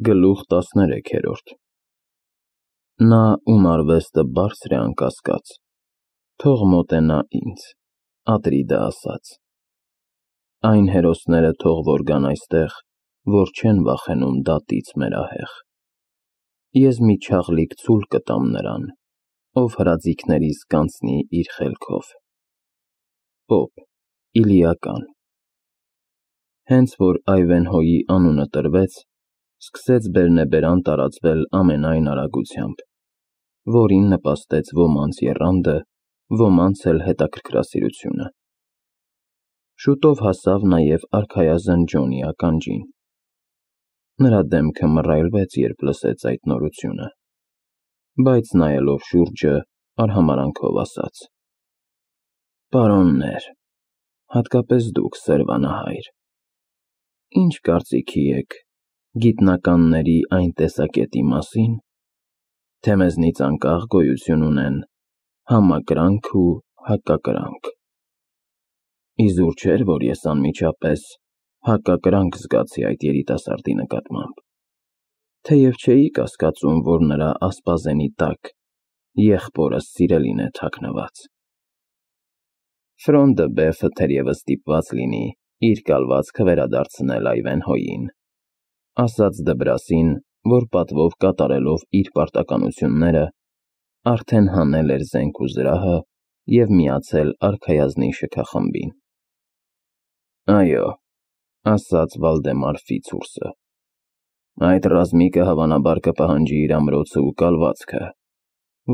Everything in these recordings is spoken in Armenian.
Գլուխ 13 Նա, ում արվեստը բարձր է անկասկած, թող մոտենա ինձ, Ատրիդը ասաց. Այն հերոսները թող որ գան այստեղ, որ չեն վախենում դատից մերահեղ։ Ես մի չաղլիկ ցուլ կտամ նրան, ով հրաձիգներիս կանցնի իր խելքով։ Պոպ, Իլիական։ Հենց որ Այվենհոյի անունը տրվեց, սկսեց բերնեբերան տարածվել ամենայն արագությամբ, որին նպաստեց ոմանց եռանդը, ոմանց էլ հետաքրքրասիրությունը։ Շուտով հասավ նաև արքայազն Ջոնի ականջին։ Նրա դեմքը մռայլվեց, երբ լսեց այդ նորությունը, բայց նայելով շուրջը, արհամարհանքով ասաց. Պարոններ, հատկապես դուք, սերվանահայր, ինչ կարծիքի եք գիտնականների այն տեսակետի մասին, թե մեզնից անկախ գոյություն ունեն համակրանք ու հակակրանք։ Իզուր չէր, որ ես անմիջապես հակակրանք զգացի այդ երիտասարդի նկատմամբ, թեև չէի կասկածում, որ նրա ասպազենի տակ եղբորս սիրելին է թաքնված։ Ֆրոն դը Բեֆը թերևս ստիպված լինի իր կալվածքը վերադարձնել Այվենհոյին, ասաց Դբրասին, որ պատվով կատարելով իր պարտականությունները, արդեն հանել էր զենք ու զրահը և միացել արքայազնի շքախմբին։ Այո, ասաց Վալդեմար Ֆիցուրսը, այդ ռազմիկը հավանաբար կպահանջի իր ամրոցը ու կալվածքը,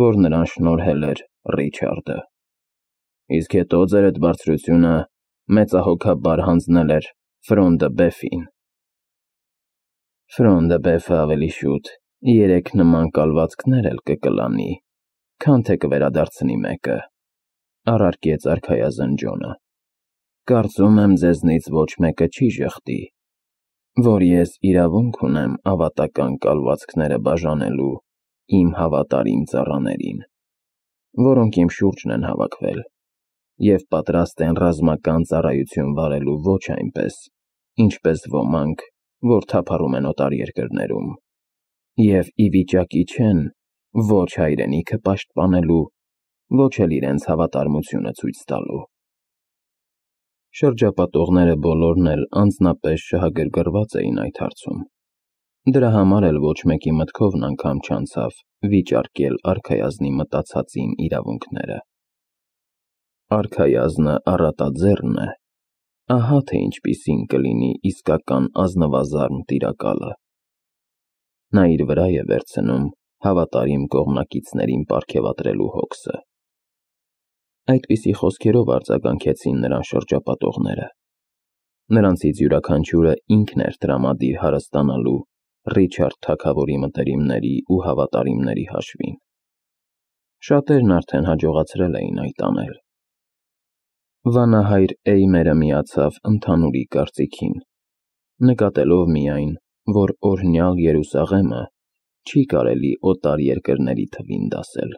որ նրան շնորհել էր Ռիչարդը, իսկ հետո ձերդ բարձրությունը մեծահոգաբար հանձնել էր Ֆրոն դը Բեֆին։ Ֆրոն դը Բեֆը ավելի շուտ 3 նման կալվածքներ էլ կկլանի, քան թե կվերադարձնի մեկը, առարկեց արքայազն Ջոնը։ Կարծում եմ ձեզնից ոչ մեկը չի ժխտի, որ ես իրավունք ունեմ ավատական կալվածքները բաժանելու իմ հավատարիմ ծառաներին, որոնք իմ շուրջն են հավաքվել և պատրաստ են ռազմական ծառայություն վարելու ոչ այնպես, ինչպես ոմանք, որ թափառում են օտար երկրներում, և ի վիճակի չեն ոչ հայրենիքը պաշտպանելու, ոչ էլ իրենց հավատարմությունը ցույց տալու։ Շրջապատողները բոլորն էլ անձնապես շահագրգռված էին այդ հարցում, դրա համար էլ ոչ մեկի մտքովն անգամ չանցավ վիճարկել արքայազնի մտածածին իրավունքները։ Արքայազնը առատաձեռն է, ահա թե ինչպիսին կլինի իսկական ազնվազարմ տիրակալը։ Նա իր վրա է վերցնում հավատարիմ կողմնակիցներին պարգևատրելու հոգսը։ Այդպիսի խոսքերով արձագանքեցին նրան շրջապատողները։ Նրանցից յուրաքանչյուրը ինքն էր տրամադիր հարստանալու Ռիչարդ թագավորի մտերիմների ու հավատարիմների հաշվին։ Շատերն արդեն հաջողացրել էին այդ անել։ Վանահայր Էյմերը միացավ ընդհանուրի կարծիքին, նկատելով միայն, որ օրհնյալ Երուսաղեմը չի կարելի օտար երկրների թվին դասել,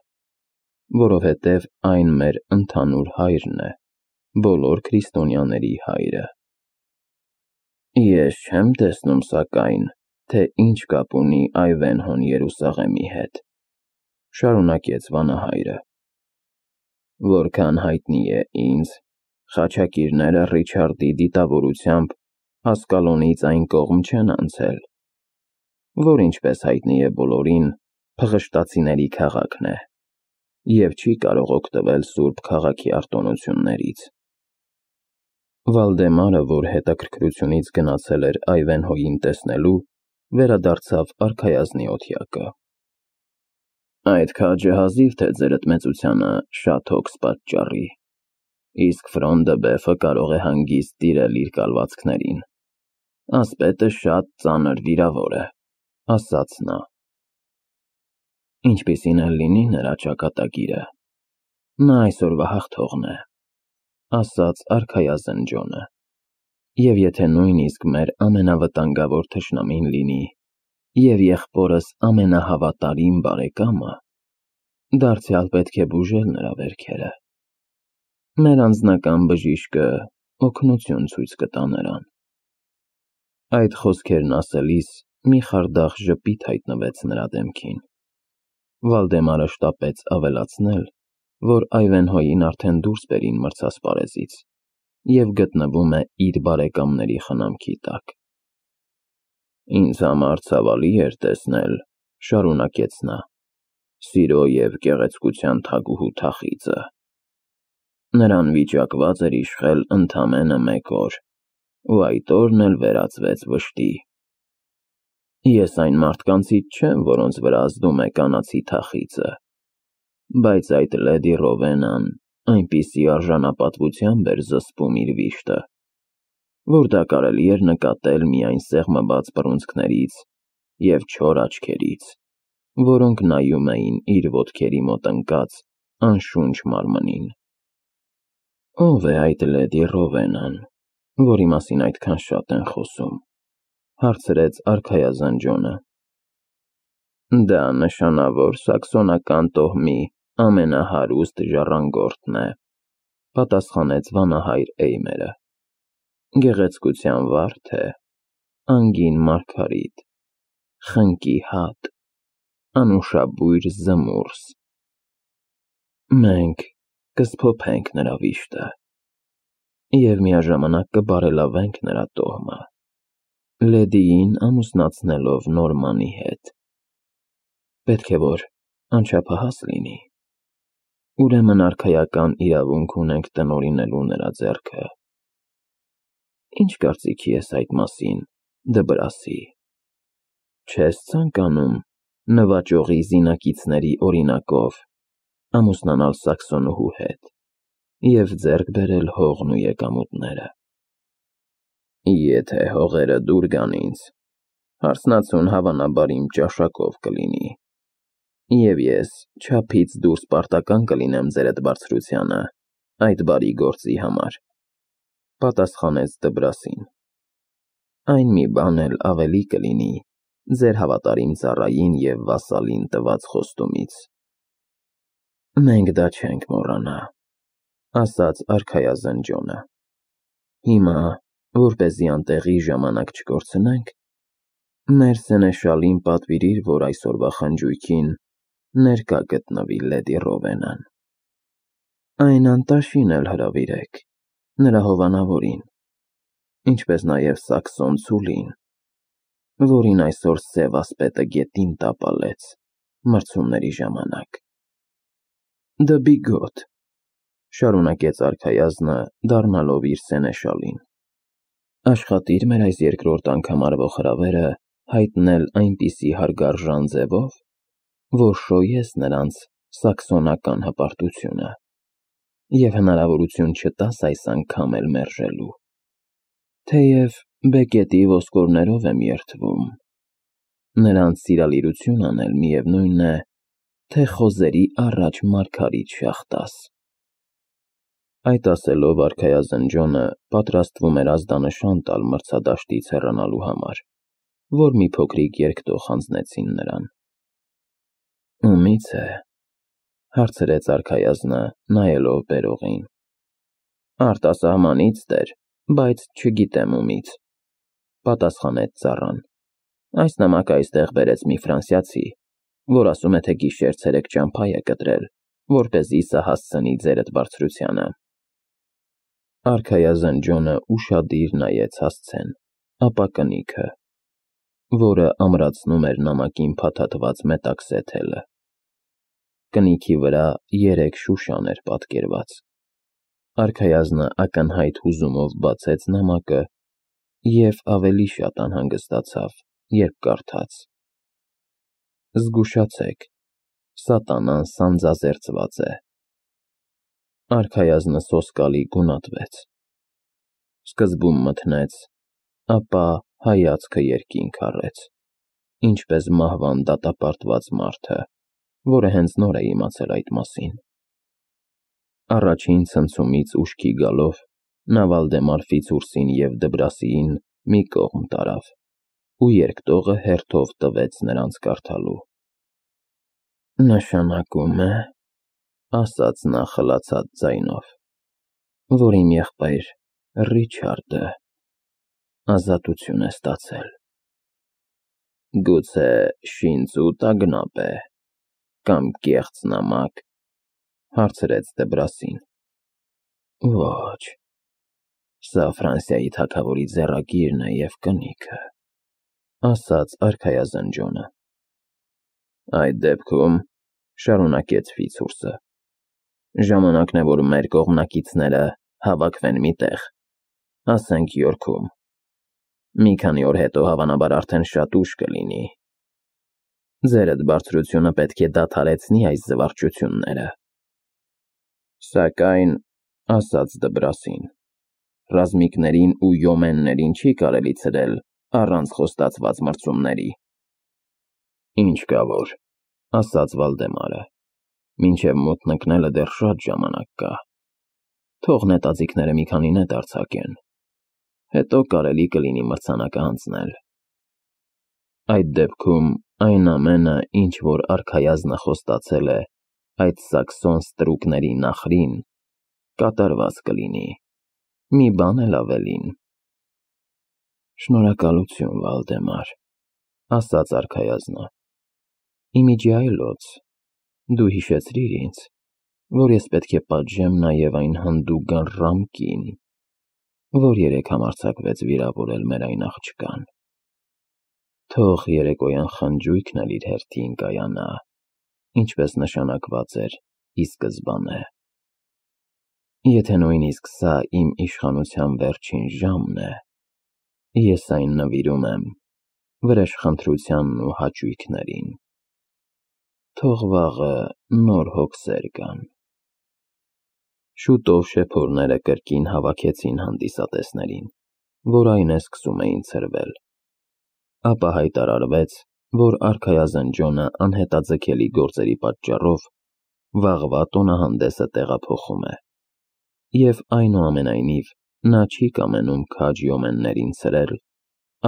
որովհետև այն մեր ընդհանուր հայրն է, բոլոր քրիստոնյաների հայրը։ Ես չեմ տեսնում, սակայն, թե ինչ կապ ունի Այվենհոն Երուսաղեմի հետ, շարունակեց վանահայրը։ Որքան հայտնի է ինձ, խաչակիրները Ռիչարդի դիտավորությամբ Ասկալոնից այն կողմ չեն անցել, որ ինչպես հայտնի է բոլորին, փղշտացիների քաղաքն է, և չի կարող օգտվել սուրբ քաղաքի արտոնություններից։ Վալդեմարը, որ հետաքրքրությունից գնացել էր Այվենհոյին տեսնելու, վերադարձավ արքայազնի օթյակը։ Այդ քաջը հազիվ թե ձերդ մեծությանը շատ հոգս պատճառի, իսկ Ֆրոն դը Բեֆը կարող է հանգիստ տիրել իր կալվածքներին։ Ասպետը շատ ծանր վիրավոր է, ասաց նա։ Ինչպիսին էլ լինի նրա ճակատագիրը, նա այսօրվա հաղթողն է, ասաց արքայազն Ջոնը, և եթե նույնիսկ մեր ամենավտանգավոր թշնամին լինի և եղբորս ամենահավատարիմ բարեկամը, դարձյալ պետք է բուժել նրա վերքերը։ Մեր անձնական բժիշկը օգնություն ցույց կտա նրան։ Այդ խոսքերն ասելիս մի խարդախ ժպիտ հայտնվեց նրա դեմքին։ Վալդեմարը շտապեց ավելացնել, որ Այվենհոյին արդեն դուրս բերին մրցասպարեզից և գտնվում է իր բարեկամների խնամքի տակ։ Ինձ համար ցավալի էր տեսնել, շարունակեց նա, սիրո և գեղեցկության թագուհու թախիծը։ Նրան վիճակված էր իշխել ընդամենը 1 օր, ու այդ օրն էլ վերածվեց վշտի։ Ես այն մարդկանցից չեմ, որոնց վրա ազդում է կանացի թախիծը, բայց այդ լեդի Ռովենան այնպիսի արժանապատվությամբ էր զսպում իր վիշտը, որ դա կարելի էր նկատել միայն սեղմված բռունցքներից և չոր աչքերից, որոնք նայում էին իր ոտքերի մոտ ընկած անշունչ մարմնին։ Ո՞վ է այդ լեդի Ռովենան, որի մասին այդքան շատ են խոսում, հարցրեց արքայազն Ջոնը։ Դա նշանավոր սաքսոնական տոհմի ամենահարուստ ժառանգորդն է, պատասխանեց վանահայր Էյմերը։ Գեղեցկության վարդ է, անգին մարգարիտ, խնկի հատ, անուշաբույր զմուրս։ Մենք կսփոփենք նրա վիշտը և միաժամանակ կբարելավենք նրա տոհմը, լեդիին ամուսնացնելով Նորմանի հետ։ Պետք է որ անչափահաս լինի, ուրեմն արքայական իրավունք ունենք տնօրինելու նրա ձեռքը։ Ինչ կարծիքի ես այդ մասին, Դբրասի։ Չես ցանկանում նվաճողի զինակիցների օրինակով ամուսնանալ սաքսոնուհու հետ և ձեռք բերել հողն ու եկամուտները։ Եթե հողերը դուր գան ինձ, հարսնացուն հավանաբար իմ ճաշակով կլինի, և ես չափից դուրս պարտական կլինեմ ձեր էդ բարձրությանը այդ բարի գործի համար, պատասխանեց Դբրասին։ Այն մի բան էլ ավելի կլինի ձեր հավատարիմ ծառային և վասալին տված խոստումից։ Մենք դա չենք մոռանա, ասաց արքայազն Ջոնը։ Հիմա, որպեսզի անտեղի ժամանակ չկորցնենք, մեր սենեշալին պատվիրիր, որ այսօրվա խնջույքին ներկա գտնվի լեդի Ռովենան։ Այն անտաշին էլ հրավիրեք, նրա հովանավորին, ինչպես նաև սաքսոն Ցուլին, որին այսօր սև ասպետը գետին տապալեց մրցումների ժամանակ։ Դբիգոտ, շարունակեց արքայազնը, դառնալով իր սենեշալին, աշխատիր մեր այս երկրորդ անգամ արվող հրավերը հայտնել այնպիսի հարգարժան ձևով, որ շոյես նրանց սաքսոնական հպարտությունը և հնարավորություն չտաս այս անգամ էլ մերժելու։ Թեև բեկետի ոսկորներով եմ երդվում, նրանց սիրալիրություն անել միևնույն է, թե խոզերի առաջ մարգարիտ շաղ տաս։ Այդ ասելով արքայազն Ջոնը պատրաստվում էր ազդանշան տալ մրցադաշտից հեռանալու համար, որ մի փոքրիկ երկտող հանձնեցին նրան։ Ումի՞ց է, հարցրեց արքայազնը, նայելով բերողին։ Արտասահմանից, տեր, բայց չգիտեմ ումից, պատասխանեց ծառան։ Այս նամակը այստեղ բերեց մի ֆրանսիացի, որ ասում է, թե գիշեր-ցերեկ ճամփա է կտրել, որպեսզի սա հասցնի ձեր էդ բարձրությանը։ Արքայազն Ջոնը ուշադիր նայեց հասցեն, ապա կնիքը, որը ամրացնում էր նամակին փաթաթված մետաքսե թելը։ Կնիքի վրա 3 շուշան էր պատկերված։ Արքայազնը ակնհայտ հուզումով բացեց նամակը և ավելի շատ անհանգստացավ, երբ կարդաց. Զգուշացեք, սատանան սանձազերծված է։ Արքայազնը սոսկալի գունատվեց։ Սկզբում մթնեց, ապա հայացքը երկինք առեց, ինչպես մահվան դատապարտված մարդը, որը հենց նոր է իմացել այդ մասին։ Առաջին ցնցումից ուշքի գալով նա Վալդեմար Ֆիցուրսին և Դբրասիին մի կողմ տարավ ու երկտողը հերթով տվեց նրանց կարդալու։ Նշանակում է, ասաց նա խլացած ձայնով, որ իմ եղբայր Ռիչարդը ազատություն է ստացել։ Գուցե շինծ ու տագնապ է, կամ կեղծ նամակ, հարցրեց Դեբրասին։ Ոչ, սա Ֆրանսիայի թագավորի ձեռագիրն է և կնիքը, ասաց արքայազնջոնը։ Այդ դեպքում, շարունակեց Ֆիցուրսը, ժամանակն է, որ մեր կողմնակիցները հավաքվեն մի տեղ, ասենք Յորքում։ Մի քանի օր հետո հավանաբար արդեն շատ ուշ կլինի։ Ձերդ բարձրությունը պետք է դադարեցնի այս զվարճությունները։ Սակայն, ասաց Դբրասին, ռազմիկներին ու յոմեններին չի կարելի ցրել առանց խոստացված մրցումների։ Ինչ կա որ, ասաց Վալդեմարը, մինչև մոտ ընկնելը դեռ շատ ժամանակ կա։ Թող նետաձիգները մի քանի նետ արձակեն, հետո կարելի կլինի մրցանակը հանձնել։ Այդ դեպքում այն ամենը, ինչ որ արքայազնը խոստացել է այդ սաքսոն ստրուկների նախրին, կատարված կլինի, մի բան էլ ավելին։ Շնորհակալություն, Վալդեմար, ասաց արքայազնը։ Իմիջի այլոց, դու հիշեցրիր ինձ, որ ես պետք է պատժեմ նաև այն հանդուգան Ռամկին, որ երեկ համարձակվեց վիրավորել մեր այն աղջկան։ Թող երեկոյան խնջույքն էլ իր հերթին կայանա, ինչպես նշանակված էր ի սկզբանե։ Եթե նույնիսկ սա իմ իշխանության վերջին ժամն է, ես այն նվիրում եմ վրեժխնդրությանն ու հաճույքներին։ Թող վաղը նոր հոգսեր գան։ Շուտով շեփորները կրկին հավաքեցին հանդիսատեսներին, որ այն է սկսում էին ցրվել։ Ապա հայտարարվեց, որ արքայազնջոնը անհետաձգելի գործերի պատճառով վաղվա տոնահանդեսը տեղափոխում է, և այնուամենայնիվ նա չի կամենում քաջ յոմեններին ցրել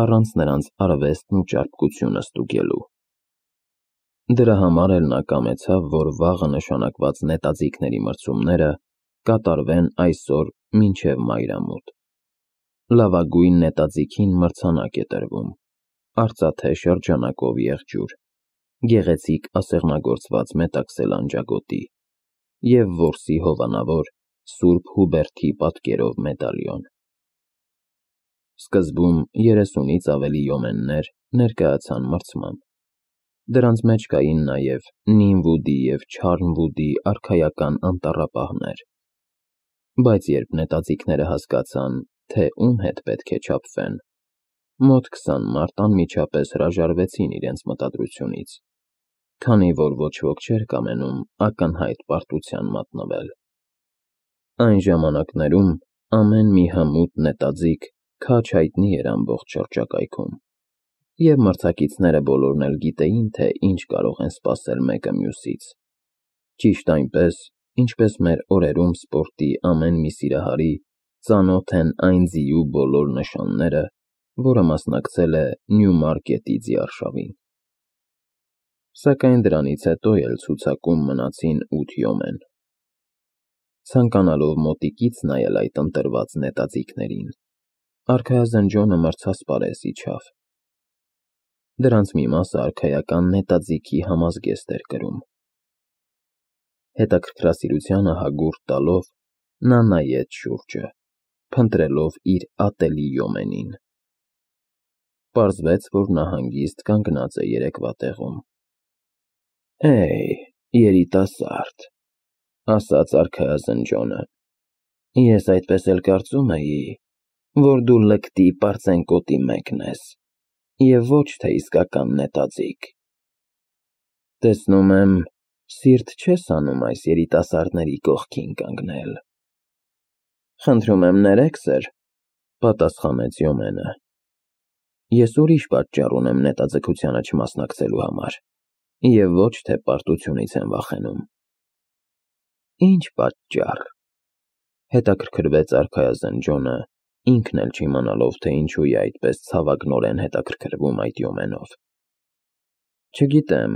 առանց նրանց արվեստն ու ճարպկությունը ստուգելու։ Դրա համար էլ նա կամեցավ, որ վաղը նշանակված նետաձիգների մրցումները կատարվեն այսօր մինչև մայրամուտ։ Լավագույն նետաձիգին մրցանակ է տրվում, արծաթե շրջանակով եղջյուր, գեղեցիկ ասեղնագործված մետաքսել անջագոտի և որսի հովանավոր Սուրբ Հուբերտի պատկերով մեդալիոն։ Սկզբում 30-ից ավելի յոմեններ ներկայացան մրցման։ Դրանց մեջ կային նաև Նինվուդի և Չարնվուդի արքայական անտառապահներ։ Բայց երբ նետաձիգները հասկացան, թե ում հետ պետք է չափվեն, մոտ 20 մարդ անմիջապես հրաժարվեցին իրենց մտադրությունից, քանի որ ոչ ոք չէր կամենում ակնհայտ պարտության մատնվել։ Այն ժամանակներում ամեն մի հմուտ նետաձիգ քաջ հայտնի էր ամբողջ շրջակայքում, և մրցակիցները բոլորն էլ գիտեին, թե ինչ կարող են սպասել մեկը մյուսից։ Ճիշտ այնպես, ինչպես մեր օրերում սպորտի ամեն մի սիրահարի ծանոթ են այն ձիու բոլոր նշանները, որը մասնակցել է Նյումարկետի ձիարշավին։ Սակայն դրանից հետո էլ ցուցակում մնացին 8 յոմեն։ Ցանկանալով մոտիկից նայել այդ ընտրված նետաձիգներին, արքայազնջոնը մրցասպարեզ իջավ։ Դրանց մի մասը արքայական նետաձիգի համազգեստ էր կրում։ Հետաքրքրասիրությանը հագուրդ տալով, նա նայեց շուրջը, փնտրելով իր ատելի յոմենին։ Պարզվեց, որ նա հանգիստ կանգնած է երեկվա տեղում։ Երիտասարդ, ասաց արքայազնջոնը, ես այդպես էլ կարծում էի, որ դու լկտի պարծենկոտի մեկն ես, և ոչ թե իսկական նետաձիգ։ Տեսնում եմ, սիրտ չես անում այս երիտասարդների կողքին կանգնել։ Խնդրում եմ ներեք, սըր, պատասխանեց յոմենը։ Ես ուրիշ պատճառ ունեմ նետաձգությանը չմասնակցելու համար, և ոչ թե պարտությունից եմ վախենում։ Ինչ պատճառ, հետաքրքրվեց արքայազնջոնը, ինքն էլ չիմանալով, թե ինչու է այդպես ցավագնորեն հետաքրքրվում այդ յոմենով։ Չգիտեմ,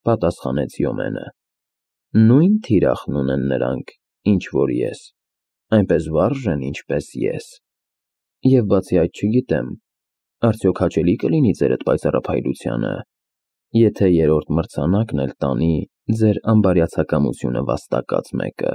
պատասխանեց յոմենը, նույն թիրախն ունեն նրանք, ինչ որ ես, այնպես վարժ են, ինչպես ես, և բացի այդ չգիտեմ, Արդյոք հաճելի կլինի ձեր այդ պայծառափայլությանը, եթե երրորդ մրցանակն էլ տանի ձեր անբարյացակամությունը վաստակած մեկը։